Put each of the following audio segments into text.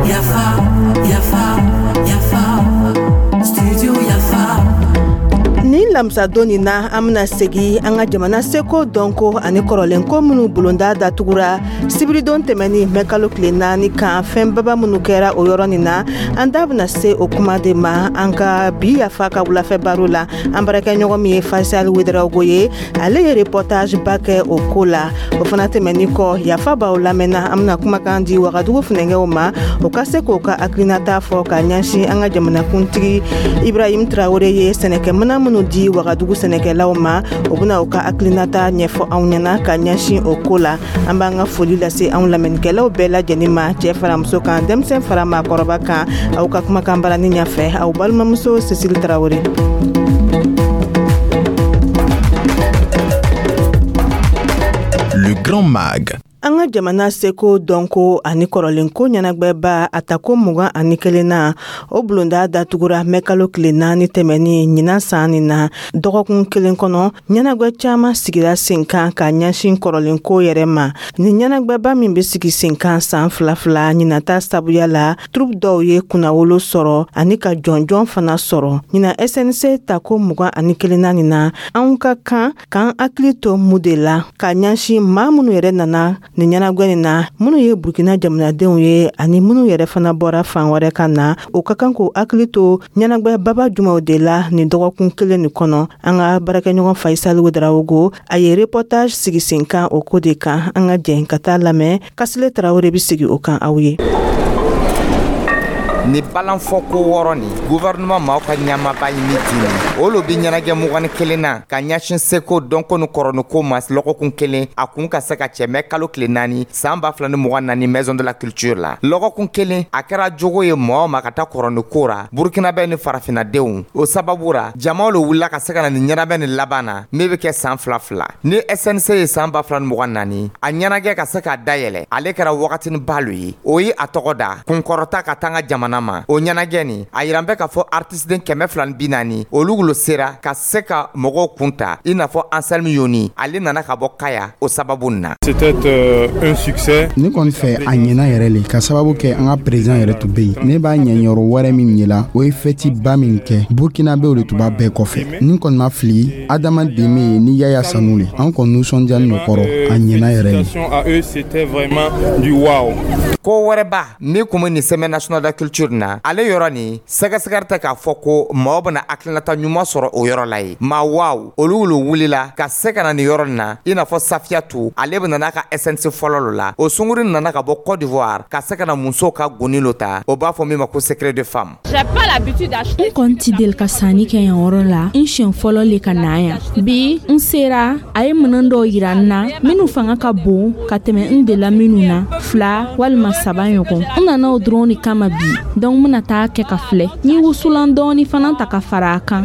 Yafa, yafa, yafa, studio Yafa. Nin lamisadon nin na, an bena segi an ka jamana seko, dɔnko ani kɔrɔlenko minnu bulonda datugura sibiridon tɛmɛni mɛ kalo tile 4 kan, fɛnbaba minnu kɛra o yɔrɔ nin na, an da bena se o kuma de ma an ka bi Yafa ka wulafɛ baro la. An baarakɛɲɔgɔn min ye Faisal Wedarawogo ye, ale ye reportage ba kɛ o ko la. O fana tɛmɛni kɔ, Yafa b'aw lamɛnna, an bena kumakan di Wagadugu funɛngɛw ma, o ka se k'o ka hakilinata fɔ ka ɲɛsin an ka jamanakuntigi Ibrahim Traore ye sɛnɛkɛmina minnu di Wagadugu sɛnɛkɛlaw ma. O bena u ka hakilinata ɲɛfɔ anw ɲɛna ka ɲɛsin o ko la. An b'an ka foli lase anw lamɛnnikɛlaw bɛɛ lajɛlen ma, cɛɛ fara muso kan, denmisɛn fara maakɔrɔba kan. Aw ka kumakan barani ɲɛfɛ, aw balimamuso Cécile Traoré. Le Grand Mag. An ka jamana seko, dɔnko ani kɔrɔlenko ɲɛnagwɛba a tako 21nan, o bulonda datugura mɛ kalo tile 4 tɛmɛni ɲinan san nin na. Dɔgɔkun kelen kɔnɔ, ɲɛnagwɛ caaman sigira sen kan ka ɲɛsin kɔrɔlenko yɛrɛ ma. Nin ɲɛnagwɛba min be sigi sen kan san fila fila, ɲinata sabuya la, troupe dɔw ye kunnawolo sɔrɔ ani ka jɔnjɔn fana sɔrɔ. Ɲina SNC tako 21nan nin na, anw ka kan k'an hakili to mun de la ka ɲɛsin maa minnu yɛrɛ nana nin ɲɛnagwɛ nin na, minnu ye Burkina jamanadenw ye ani minnu yɛrɛ fana bɔra fan wɛrɛ ka na, o ka kan k'o hakili to ɲɛnagwɛ baba jumaw de la nin dɔgɔkun kelen nin kɔnɔ? An ka baarakɛɲɔgɔn Faisal Wedarawogo, a ye reportage sigi sen kan o ko de kan. An ka jɛn ka taa lamɛn. Kasile Tarawele bɛ sigi o kan aw ye. Ni balanfɔ ko wɔɔrɔ nin, gouvernement maaw ka ɲamaba ye min di nin, o lo bi ɲɛnajɛ 21 na ka ɲɛsin seko, dɔnko ni kɔrɔniko ma lɔgɔkun kelen, a kun ka se ka cɛ mɛ kalo tile 4 san 2024, Maison de la Culture la. Lɔgɔkun kelen, a kɛra jogo ye mɔgɔ ma ka taa kɔrɔniko ra, Burkinabɛ ni farafinadenw. O sababu ra, jamaw lo wulila ka se ka na nin ɲɛnabɛ nin laban na min bɛ kɛ san fila fila ni SNC ye. San 2024, a ɲɛnajɛ ka se k'a dayɛlɛ, ale kɛra wagatini ba lo ye. O ye a tɔgɔ da kunkɔrɔta ka taa ka jamana ma. O ɲɛnajɛ nin, a yiran bɛ k'a fɔ artiste 240, olu wolo sera ka se ka mɔgɔw kun ta, i n'a fɔ Anselme Yoni, ale nana ka bɔ Kaya o sababu na. C'était un succès. Ne kɔni fɛ, a ɲɛna yɛrɛ le, ka sababu kɛ an ka président yɛrɛ tun bɛ yen. Ne b'a ɲɛyɔrɔ wɛrɛ min ɲɛla, o ye fɛti ba min kɛ, Burkinabɛw de tun b'a bɛɛ kɔfɛ. Ni kɔni ma fili, Adama Deme ni Yaya Sanu le. An kɔni nisɔndiyani no kɔrɔ, a ɲɛna yɛrɛ le. À eux, c'était vraiment du wow. Ko wɛrɛba min kun bɛ nin Semaine nationale de la culture na, ale yɔrɔ nin sɛgɛsɛgɛri tɛ k'a fɔ ko mɔgɔ bɛna hakilinata ɲuman sɔrɔ o yɔrɔ la ye. Maa waaw, olu lo wulila ka se ka na nin yɔrɔ nin na, i n'a fɔ Safiyatu, ale bɛ nana ka SNC fɔlɔ lo la. O sunguru nana ka bɔ Côte d'Ivoire ka se ka na musow ka goni lo ta, o b'a fɔ min ma ko secret de femme. N kɔni ti deli ka sanni kɛ yan yɔrɔ la, n siɲɛ fɔlɔ le ka na yan. Bi n sera, a ye minɛn dɔw yira n na minnu fanga ka bon ka tɛmɛ n delila minnu na fila walima saba ɲɔgɔn. N nana o dɔrɔn de kama bi. Donc n bena taa kɛ ka filɛ, n ye wusulan dɔɔni fana ta ka fara a kan.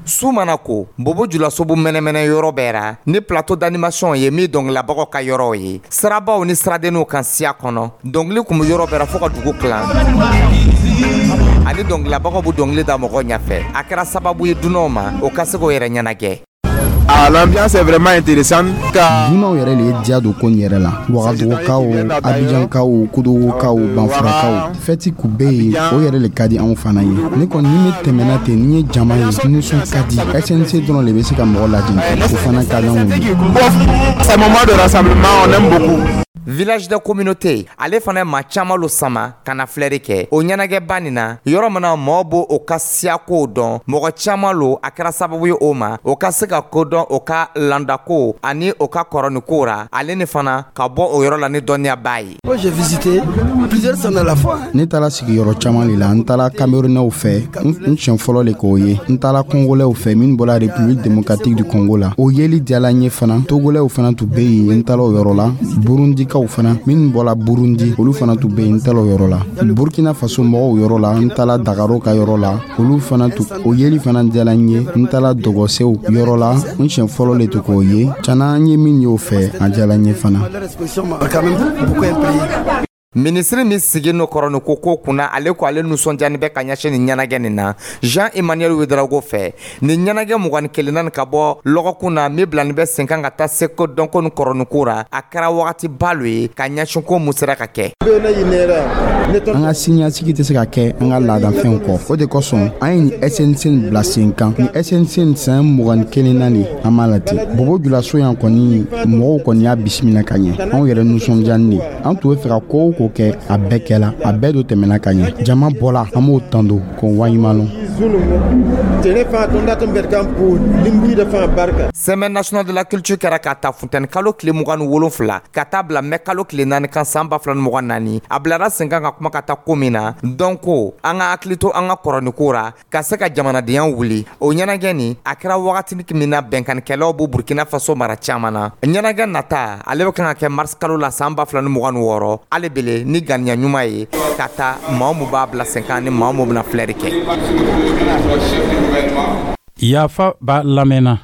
Su mana ko, bobo julasobu mɛnɛmɛnɛ yɔrɔ bɛɛ ra ni plateau d'animation ye min dɔnkililabagaw ka yɔrɔw ye, sirabaw ni siradenninw kan siya kɔnɔ, dɔnkili kun bɛ yɔrɔ bɛɛ ra fɔɔ ka dugu kilan, ani dɔnkililabagaw bɛ dɔnkili da mɔgɔw ɲɛfɛ. A kɛra sababu ye dunanw ma, o ka se k'o yɛrɛ ɲɛnajɛ. Ah, l'ambiance est vraiment intéressante car Dunanw yɛrɛ le ye diya don ko nin yɛrɛ la, Wagadugukaw, Abijankaw, Kudogokaw, Banfurakaw. Fɛti kun bɛ yen, o yɛrɛ le ka di anw fana ye. Ne kɔni, ni ne tɛmɛna ten, ni ye jama ye, nisɔn ka di. SNC dɔrɔn le bɛ se ka mɔgɔ lajɛ, o fana ka di anw ye. Ces moments de rassemblement, on aime beaucoup. Village de communauté, ale fana ye maa caman lo sama ka na filɛri kɛ o ɲɛnajɛba nin na, yɔrɔ min na mɔɔ b'o o ka siyakow dɔn. Mɔgɔ caman lo, a kɛra sababu ye o ma, o ka se ka ko dɔn o ka landako ani o ka kɔrɔniko ra, ale ni fana ka bɔ o yɔrɔ la ni dɔnniyaba ye. Ne taara sigiyɔrɔ caman de la. N taara Camerounɛw fɛ, n siɲɛ fɔlɔ le k'o ye. N taara Congolɛw fɛ minnu bɔra République démocratique du Congo la, o yeli diyala n ye fana. Togolɛw fana tun bɛ yen, n taara o yɔrɔ la. Burundikaw fana minnu bɔra Burundi, olu fana tun bɛ yen, n taara o yɔrɔ la. Burkina Faso mɔgɔw yɔrɔ la, n taara Dagaro ka yɔrɔ la, olu fana tun, o yeli fana diyala n ye. N taara Dɔgɔsew yɔrɔ la, n siɲɛ fɔlɔ le tun k'o ye. Cana, an ye min ye o fɛ, a diyala n ye fana. Minisiri min sigi no kɔrɔni ko ko kunna, ale ko ale nisɔndiyani bɛ ka ɲɛsin nin ɲɛnajɛ nin na. Jean Emmanuel Ouedraogo fɛ, nin ɲɛnajɛ 21nan nin ka bɔ lɔgɔkun na min bilani bɛ sen kan ka taa seko dɔnko ni kɔrɔniko ra, a kɛra wagati ba lo ye ka ɲɛsin ko mun sera ka kɛ. An ka siniɲɛsigi tɛ se ka kɛ an ka laadafɛnw kɔ. O de kosɔn an ye nin SNC nin bila sen kan. Nin SNC nin san 21nan nin, an b'a la ten. Bobo Julaso yan kɔni, mɔgɔw kɔni y'a bisimila ka ɲɛ. Anw yɛrɛ nisɔndiyani de. An tun bɛ fɛ ka ko o ko kɛ, a bɛɛ kɛla, a bɛɛ do tɛmɛna ka ɲɛ. Jama bɔla, an b'o tando k'o waleɲuman lɔn. Semaine nationale de la culture kɛra k'a ta funtɛni kalo tile 27 ka taa bila mɛ kalo tile 4 kan san 2024. A bilara sen kan ka kuma ka taa ko min na dɔnko, an ka hakili to an ka kɔrɔniko ra ka se ka jamanadenya wuli. O ɲɛnajɛ nin, a kɛra wagati min na bɛnkanikɛlaw b'o Burkina Faso mara caman na. Ɲɛnajɛ nata, ale bɛ kan ka kɛ mars kalo la san 2026, ale bele ni ganiya ɲuman ye ka taa maa mun b'a bila sen kan ni maa mun bɛna filɛri kɛ. Yafa ba lamɛnna.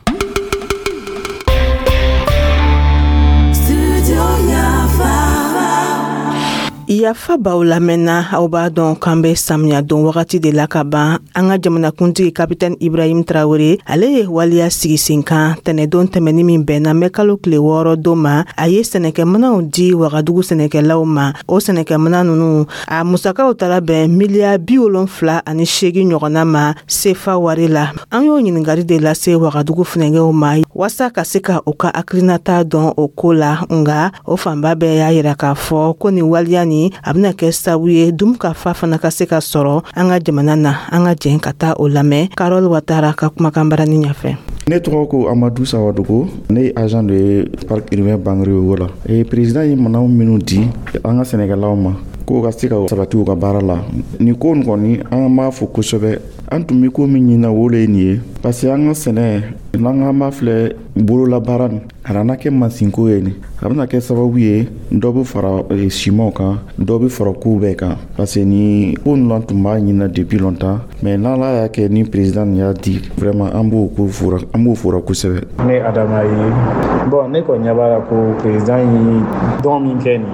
Yafa baw lamɛnna. Aw b'a dɔn k'an bɛ samiya don wagati de la ka ban. An ka jamanakuntigi Kapitɛni Ibrahim Traore, ale ye waleya sigi sen kan tɛnɛdon tɛmɛni min bɛnna mɛ kalo tile 6 don ma. A ye sɛnɛkɛminɛnw di Wagadugu sɛnɛkɛlaw ma. O sɛnɛkɛminɛn ninnu, a musakaw taara bɛn miliyari 78 ɲɔgɔnna ma sefa wari la. An y'o ɲininkali de lase Wagadugu funɛgɛw ma waasa ka se ka u ka hakilinata dɔn o ko la. Nka o fanba bɛɛ y'a yira k'a fɔ ko nin waleya nin, a bɛna kɛ sababu ye dunkafa fana ka se ka sɔrɔ an ka jamana na. An ka jɛn ka taa o lamɛn Karol Watara ka kumakan barani ɲɛfɛ. Ne tɔgɔ ko Amadu Sawadogo, ne ye agent de parc urbain Bangriogo la. E président ye minɛnw minnu di an ka sɛnɛkɛlaw ma k'o ka se ka sabati u ka baara la, nin ko nin kɔni, an b'a fo kosɛbɛ. An tun bɛ ko min ɲini na, o le ye nin ye, parce que an ka sɛnɛ n'an k'an b'a filɛ bololabaara nin, a nana kɛ mansinko ye. Nin a bɛna kɛ sababu ye dɔ bɛ fara simanw kan, dɔ bɛ fara kow bɛɛ kan, parce que nin ko ninnu an tun b'a ɲini depuis longtemps, mais n'Ala y'a kɛ ni président nin y'a di, vraiment an b'o ko fora, an b'o fora kosɛbɛ. Ne Adama ye. Bon, ne kɔni ɲɛ b'a la ko président ye don min kɛ nin,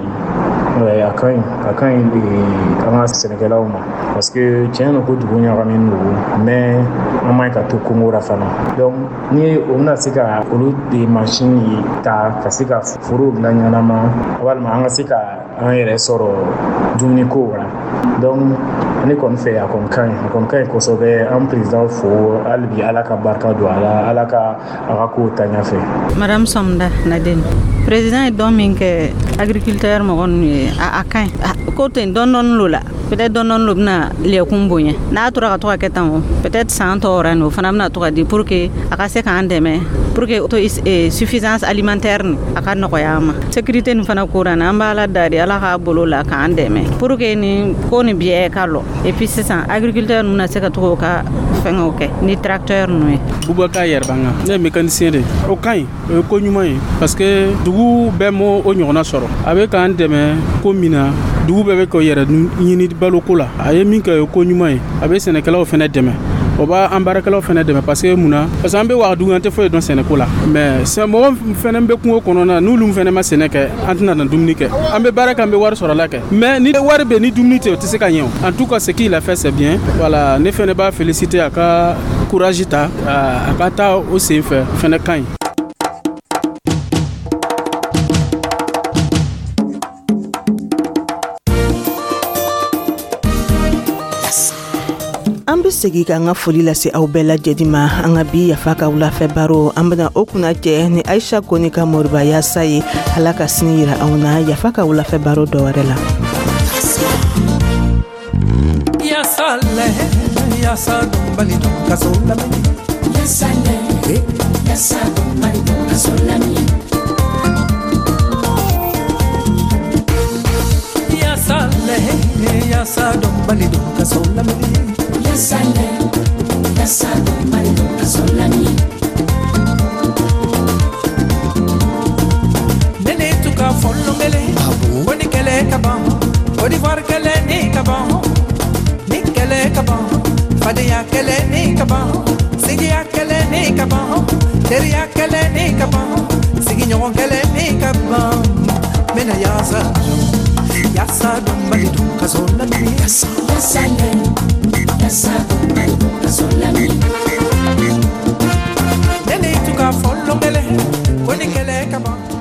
a ka ɲi, a ka ɲi an ka sɛnɛkɛlaw ma, parce que tiɲɛ don ko dugu ɲagaminen don, mais an man ɲi ka to kongo la fana. Donc ni o bɛna se ka olu de mansin ta ka se ka forow dilan ɲɛnama, walima an ka se ka an yɛrɛ sɔrɔ dumuniko la. Donc ne kɔni fɛ, a kɔni ka ɲi, a kɔni ka ɲi kosɛbɛ. An président fo hali bi, Ala ka barika don a la, Ala ka a ka kow ta ɲɛfɛ. Madame Somda Nadine, président ye don min kɛ agriculteur mɔgɔ ninnu ye, a ka ɲi ko ten. Dɔɔni dɔɔni lo la, peut-être dɔɔni dɔɔni lo bɛna lɛkun bonya. N'a tora ka to ka kɛ tan, o peut-être san tɔ wɛrɛ nin, o fana bɛna to ka di pour que a ka se k'an dɛmɛ pour que auto suffisance alimentaire nin a ka nɔgɔya an ma. Sécurité nin fana ko ra, an b'a ala dari, Ala k'a bolo la k'an dɛmɛ pour que nin ko nin biɲɛ ka lɔ. Et puis sisan agriculteur ninnu na se ka to k'o ka fɛngɛw kɛ ni tracteur ninnu ye. Bubakar Yɛrɛbanga, ne ye mécanicien de. O ka ɲi, o ye ko ɲuman ye, parce que dugu bɛɛ m'o o ɲɔgɔnna sɔrɔ. A bɛ k'an dɛmɛ ko min na, dugu bɛɛ bɛ k'o yɛrɛ ɲini baloko la. A ye min kɛ, o ye ko ɲuman ye. A bɛ sɛnɛkɛlaw fɛnɛ dɛmɛ, o b'a an baarakɛlaw fɛnɛ dɛmɛ, parce que mun na? Parce que an bɛ Wagadugu, an tɛ foyi dɔn sɛnɛko la, mais mɔgɔ fɛnɛ bɛ kungo kɔnɔna, n'olu fɛnɛ ma sɛnɛ kɛ, an tɛna na dumuni kɛ. An bɛ baara kɛ, an bɛ wari sɔrɔ la kɛ, mais ni wari bɛ ni dumuni tɛ, o tɛ se ka ɲɛ. O en tout cas, ce qu'il a fait, c'est bien. Voilà, ne fɛnɛ b'a féliciter, a ka courage ta, a ka taa o sen fɛ, fɛnɛ ka ɲi. An be segi ka an ka foli lase aw bɛɛ lajɛli ma. An ka bi Yafa ka wulafɛ baro, an bena o kunna cɛ ni Aisha Koni ka Moriba yasa ye. Ala ka sini yira anw na Yafa ka wulafɛ baro dɔ wɛrɛ la. Yasale, yasa bali kaso lamini. Yasale, yasa bali kaso lamini. Yasale, yasa bali kaso lamini. Yasale, yasa bali kaso lamini. Nene tuka folongele, woni kele kaban, Côte d'Ivoire kele ni kaban, ni kele kaban, Fadenya kele ni kaban, Sigiya kele ni kaban, Teriya kele ni kaban, Sigiɲɔgɔn kele ni kaban. Mena yasa jo, Yasa dɔnbali dun kaso lamini. Yasa yasa le, yasa dɔnbali dun kaso lamini. Ne ni tuka fɔlɔn kɛlɛ ko ni kɛlɛ ka ban.